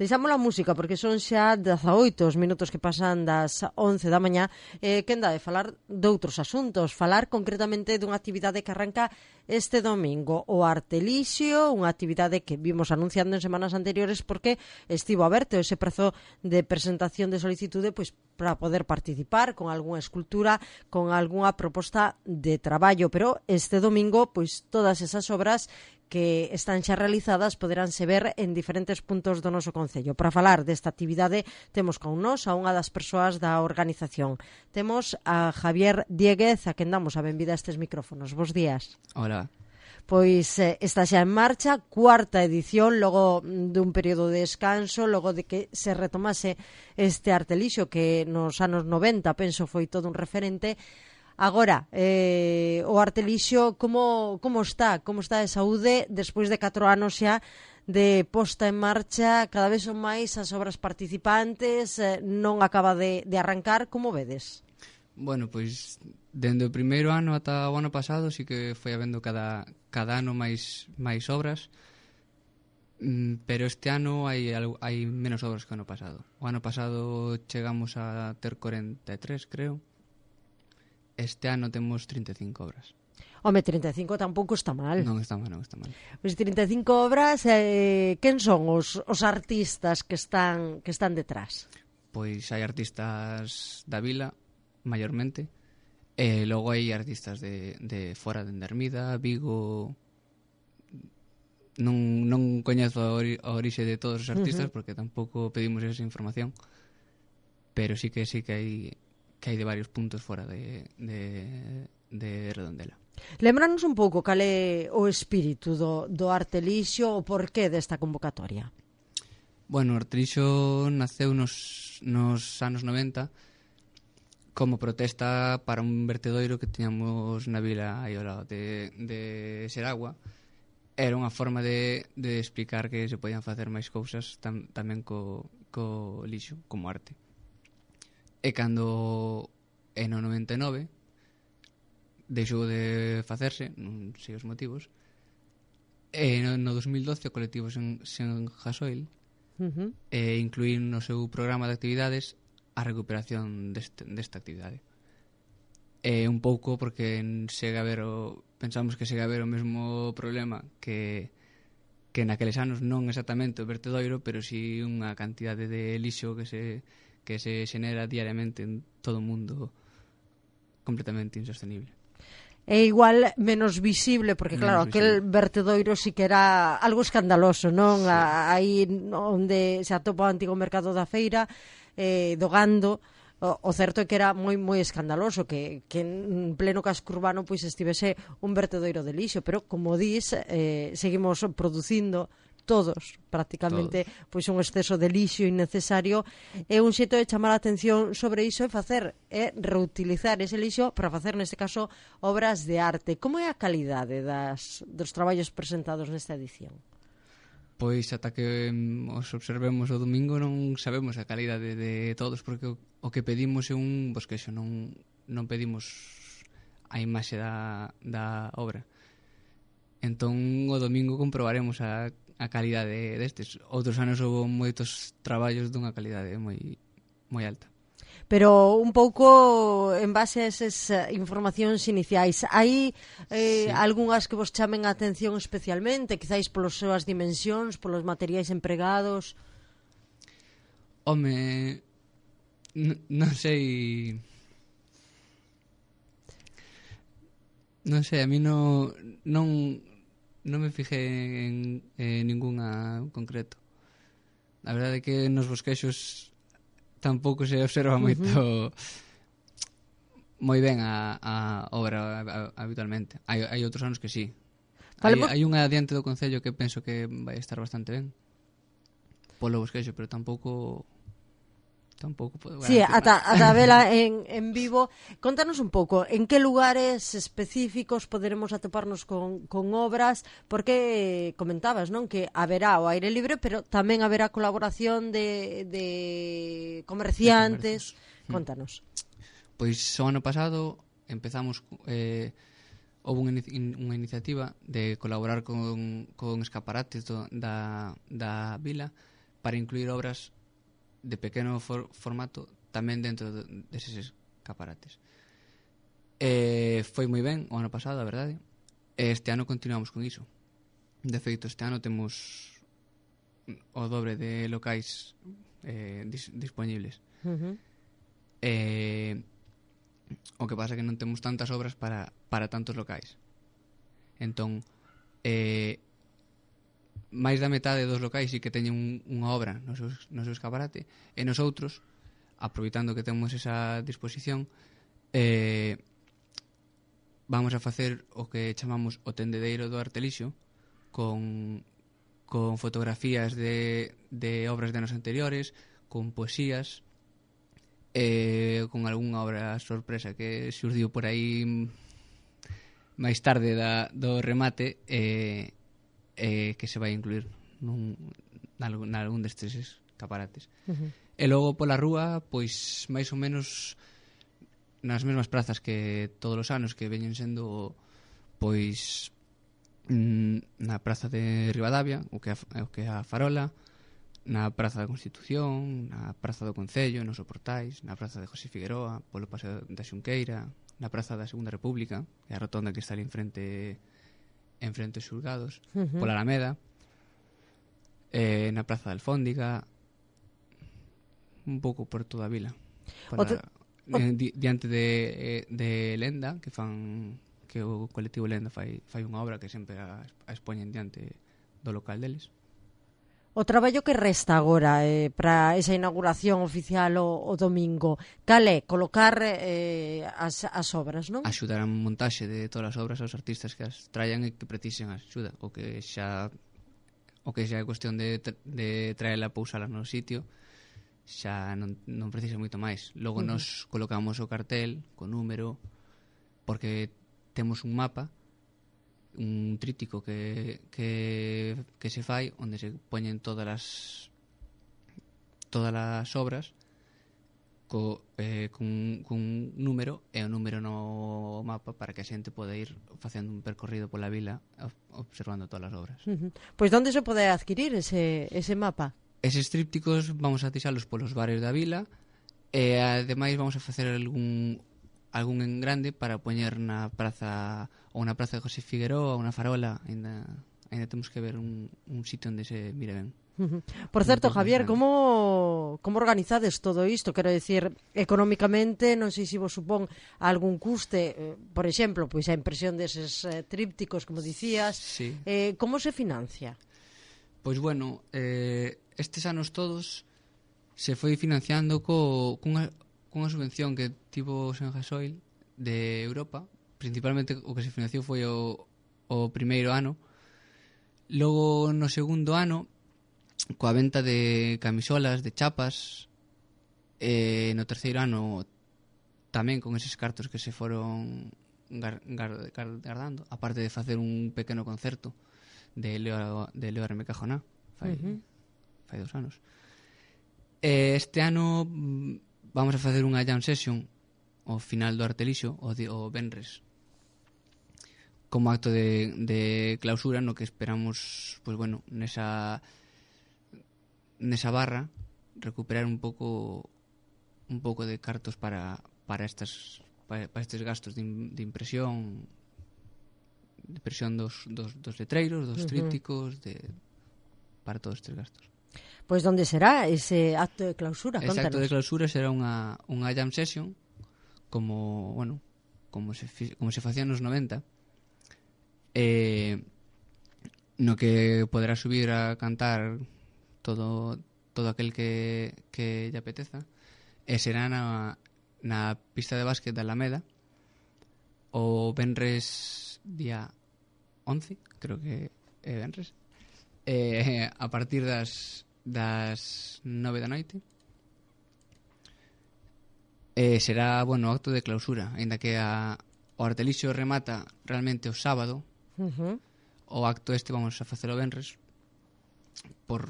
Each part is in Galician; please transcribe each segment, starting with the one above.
Deixamos a música porque son xa 18 os minutos que pasan das 11 da mañá. Quen dá de falar de outros asuntos, falar concretamente dunha actividade que arranca este domingo, o Artelixio, unha actividade que vimos anunciando en semanas anteriores porque estivo aberto ese prazo de presentación de solicitude pois para poder participar con algunha escultura, con algunha proposta de traballo, pero este domingo pois todas esas obras que están xa realizadas poderánse ver en diferentes puntos do noso concello. Para falar desta actividade temos con nós a unha das persoas da organización. Temos a Javier Dieguez, a quen damos a benvida a estes micrófonos. Bos días. Hola. Pois está xa en marcha, cuarta edición, logo dun período de descanso, logo de que se retomase este Artelixio que nos anos 90, penso, foi todo un referente. Agora, o Artelixio, como está? Como está de saúde despois de 4 anos xa de posta en marcha? Cada vez son máis as obras participantes, non acaba de arrancar, como vedes? Bueno, pois, dende o primeiro ano ata o ano pasado, sí que foi habendo cada ano máis obras, pero este ano hai menos obras que o ano pasado. O ano pasado chegamos a ter 43, creo. Este ano temos 35 obras. Home, 35 tampouco está mal. Non está mal. Pois 35 obras, quen son os artistas que están detrás? Pois hai artistas da vila, maiormente, e logo hai artistas de fora de Ermida, Vigo. Non coñezo a orixe de todos os artistas porque tampouco pedimos esa información, pero sí que hai de varios puntos fora de Redondela. Lembranos un pouco cal é o espírito do Artelixio, o porqué desta convocatoria. Bueno, o Artelixio naceu nos anos 90 como protesta para un vertedoiro que tiñamos na vila aí ao lado de Seragua. Era unha forma de explicar que se podían facer máis cousas tamén co lixo, como arte. E cando no 99 deixou de facerse, non sei os motivos, e no 2012 o colectivo Sen Gasoil incluíu no seu programa de actividades a recuperación desta actividade. E un pouco porque pensamos que segue a haber o mesmo problema que naqueles anos, non exactamente o vertedoiro, pero si unha cantidade de lixo que se xenera diariamente en todo o mundo completamente insostenible. É igual menos visible, porque claro, aquel vertedoiro sí que era algo escandaloso, non? Sí. Aí onde se atopa o antigo mercado da feira, do Gando, o certo é que era moi escandaloso que en pleno casco urbano pois estivese un vertedoiro de lixo, pero como dis, seguimos producindo todos, prácticamente, pois un exceso de lixo innecesario. É un xeito de chamar a atención sobre iso e reutilizar ese lixo para facer, neste caso, obras de arte. Como é a calidade dos traballos presentados nesta edición? Pois ata que os observemos o domingo non sabemos a calidade de todos, porque o que pedimos é un bosquexo, non pedimos a imaxe da obra. Entón o domingo comprobaremos a calidade destes. Outros anos houve moitos traballos dunha calidade moi alta. Pero un pouco en base a esas informacións iniciais, hai algunhas que vos chamen a atención especialmente, quizáis polas súas dimensións, polos materiais empregados? Home, non sei, a mí non me fijei en ninguna concreto. A verdade é que nos bosquexos tampouco se observa moito moi ben a obra habitualmente. Hai outros anos que sí. Hai unha adiante do Concello que penso que vai estar bastante ben polo bosquexo, pero tampouco Sí, ata vela en vivo. Contanos un pouco, en que lugares específicos poderemos atoparnos con obras, porque comentabas, non, que haberá o aire libre, pero tamén haberá colaboración de comerciantes. Contanos. Pois o ano pasado empezamos houve unha iniciativa de colaborar con escaparates da vila para incluir obras de pequeno formato tamén dentro deses escaparates. Foi moi ben o ano pasado, a verdade. Este ano continuamos con iso. De feito, este ano temos o dobre de locais disponibles. O que pasa é que non temos tantas obras para tantos locais. Entón, máis da metade dos locais sí que teñen unha obra no seu escaparate, e nos outros, aproveitando que temos esa disposición, vamos a facer o que chamamos o tendedeiro do Artelixo, con fotografías de obras de anos anteriores, con poesías, con algunha obra sorpresa que xurdiu por aí máis tarde do remate, que se vai incluir nalgún destes escaparates. E logo pola rúa, pois máis ou menos nas mesmas prazas que todos os anos, que veñen sendo pois na praza de Ribadavia, o que é a Farola, na praza da Constitución, na praza do Concello, nos Soportais, na praza de José Figueroa, polo paseo da Xunqueira, na praza da Segunda República, que é a rotonda que está ali enfrente aos xulgados, pola Alameda, na praza da Alfóndiga, un pouco por toda a vila, diante de Lenda, que o colectivo Lenda fai unha obra que sempre a expoñen diante do local deles. O traballo que resta agora para esa inauguración oficial o domingo, cal é? Colocar as obras, non? Axudar a montaxe de todas as obras aos artistas que as traian e que precisen axuda, o que xa é cuestión de traela e pousala no sitio, xa non precisa moito máis. Logo nos colocamos o cartel co número, porque temos un mapa, un tríptico que se fai onde se poñen todas as obras cun número, e o número no mapa para que a xente pode ir facendo un percorrido pola vila observando todas as obras. Pois onde se pode adquirir ese mapa? Eses trípticos vamos a tixalos polos bares da vila, e ademais vamos a facer algún en grande para poñer na praza, ou na praza de José Figueroa, ou na Farola. Ainda temos que ver un sitio onde se mire ben. Por certo, Javier, como organizades todo isto? Quero dicir, económicamente, non sei se vos supón algún custe, por exemplo, pois a impresión deses trípticos, como dicías, sí. Como se financia? Pois bueno, estes anos todos se foi financiando cunha subvención que tivo Sen Gasoil de Europa. Principalmente o que se financiou foi o primeiro ano. Logo, no segundo ano, coa venta de camisolas, de chapas, no terceiro ano tamén con eses cartos que se foron guardando, aparte de facer un pequeno concerto de Leo R.M. Cajoná fai 2 anos. Este ano vamos a facer unha jam session ao final do Artelixo, o venres, como acto de clausura, no que esperamos, pois bueno, nesa barra recuperar un pouco de cartos para estes gastos de impresión dos letreiros, dos trípticos, para todos estes gastos. Pois onde será ese acto de clausura? Ese acto de clausura será unha jam session, como se facía nos 90, no que poderá subir a cantar todo aquel que lle apeteza, e será na pista de básquet da Alameda o venres día 11, creo que é venres, a partir das 9 da noite. Será, bueno, acto de clausura, aínda que o Artelixo remata realmente o sábado. O acto este vamos a facelo venres por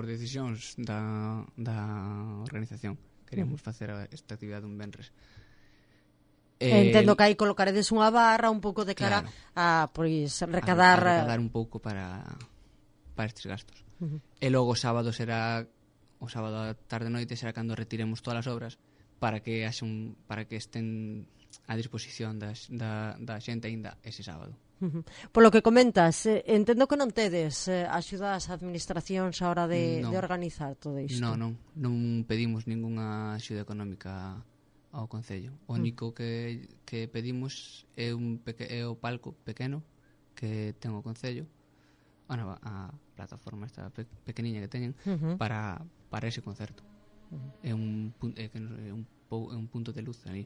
decisións da organización. Queríamos facer esta actividade un venres. Entendo que aí colocaredes unha barra un pouco de cara, claro, a pois recadar un pouco para estes gastos. E logo o sábado a tarde e noite será cando retiremos todas as obras para que estén a disposición da xente aínda ese sábado. Polo que comentas, entendo que non tedes axuda ás administracións a hora de organizar todo isto. Non pedimos ningunha axuda económica ao Concello. O único que pedimos é o palco pequeno que ten o Concello, a plataforma esta pequeniña que teñen para ese concerto. É un punto de luz ali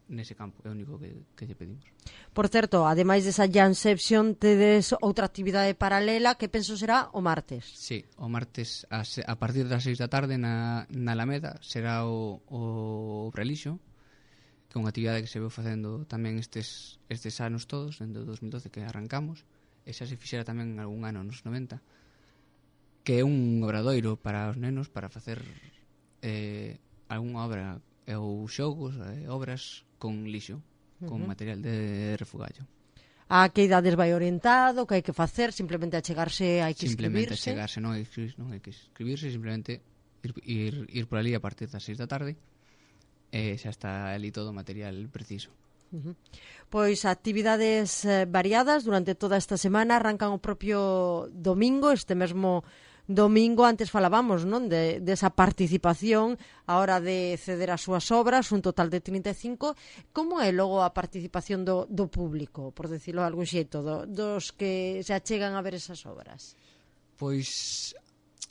nese campo, é o único que lle pedimos. Por certo, ademais desa Janception, tedes outra actividade paralela que penso será o martes. Sí, o martes a partir das 6 da tarde na Alameda será o Relixo, que é unha actividade que se veu facendo tamén estes anos todos, dende o 2012 que arrancamos, e xa se fixera tamén algún ano nos 90, que é un obradoiro para os nenos para facer algunha obra ou xogos, obras con lixo, con material de refugallo. A que idades vai orientado, que hai que facer, simplemente achegarse, hai que simplemente inscribirse? Simplemente achegarse, non hai que inscribirse, simplemente ir por ali a partir das 6 da tarde e xa está ali todo o material preciso. Pois actividades variadas durante toda esta semana, arrancan o propio domingo, este mesmo domingo. Antes falábamos, non, desa participación a hora de ceder as súas obras, un total de 35. Como é logo a participación do público, por decirlo de algún xeito, dos que se achegan a ver esas obras? Pois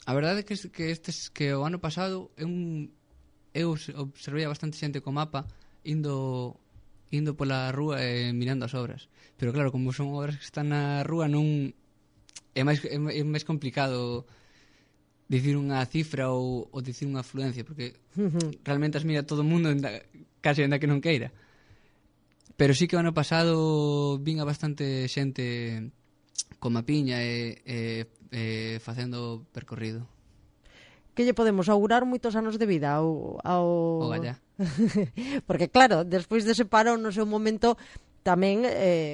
a verdade é que o ano pasado eu observei a bastante xente co mapa indo pola rúa e mirando as obras, pero claro, como son obras que están na rúa, non é máis complicado dicir unha cifra ou dicir unha afluencia, porque realmente as mira todo o mundo case ainda que non queira. Pero sí que o ano pasado vin a bastante xente con mapiña e facendo percorrido. Que lle podemos augurar moitos anos de vida ao Gallá. Porque claro, despois dese parón no seu momento tamén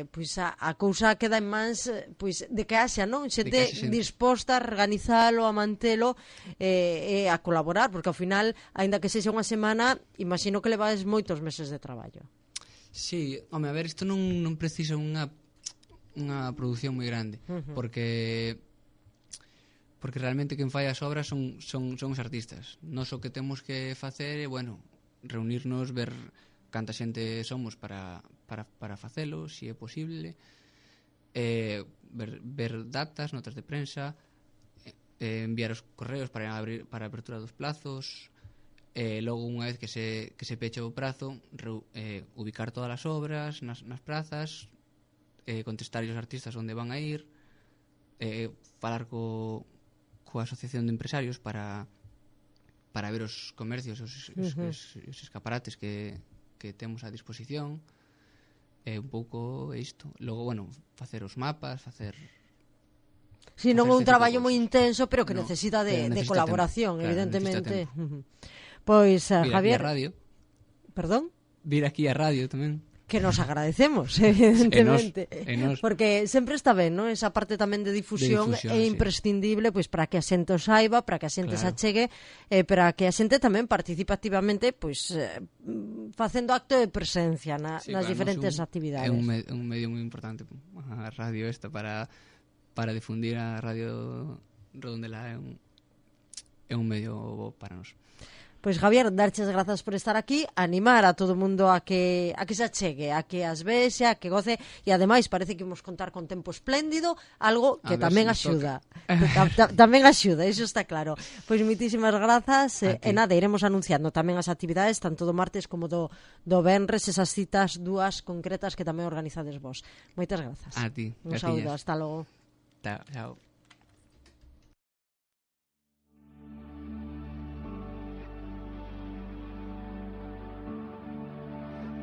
pois a cousa queda en mans pois de que haxa, non? Xente disposta a organizalo, a mantelo e a colaborar, porque ao final, aínda que sexa unha semana, imagino que levades moitos meses de traballo. Sí, home, a ver, isto non precisa unha produción moi grande, porque realmente quen fai as obras son os artistas. Nós o que temos que facer é, reunirnos, ver canta xente somos para facelo, se é posible, ver datas, notas de prensa, enviar os correos para a apertura dos plazos, logo unha vez que se peche o prazo, ubicar todas as obras nas prazas, contestar os artistas onde van a ir, falar coa asociación de empresarios para ver os comercios, os escaparates que temos a disposición, un pouco isto. Logo, facer os mapas, facer... Si, non é un traballo moi intenso, pero que necesita de colaboración, tempo, evidentemente. Pois, Javier... Vir aquí a radio. Perdón? Vir aquí a radio tamén. Que nos agradecemos, evidentemente. Nos. Porque sempre está ben, non? Esa parte tamén de difusión é imprescindible, pois para que a xente o saiba, para que a xente se achegue, para que a xente tamén participe activamente, pois facendo acto de presencia nas diferentes actividades. É un medio moi importante, a radio esta, para difundir a radio Redondela, é un medio bo para nós. Pois Javier, darches grazas por estar aquí, animar a todo o mundo a que se achegue, a que as vexe, a que goce, e ademais parece que imos contar con tempo espléndido, algo que tamén axuda. Tamén axuda, iso está claro. Pois moitísimas grazas, e nada, iremos anunciando tamén as actividades, tanto do martes como do venres, esas citas dúas concretas que tamén organizades vos. Moitas grazas. A ti. Un saúdo, hasta logo. Chao.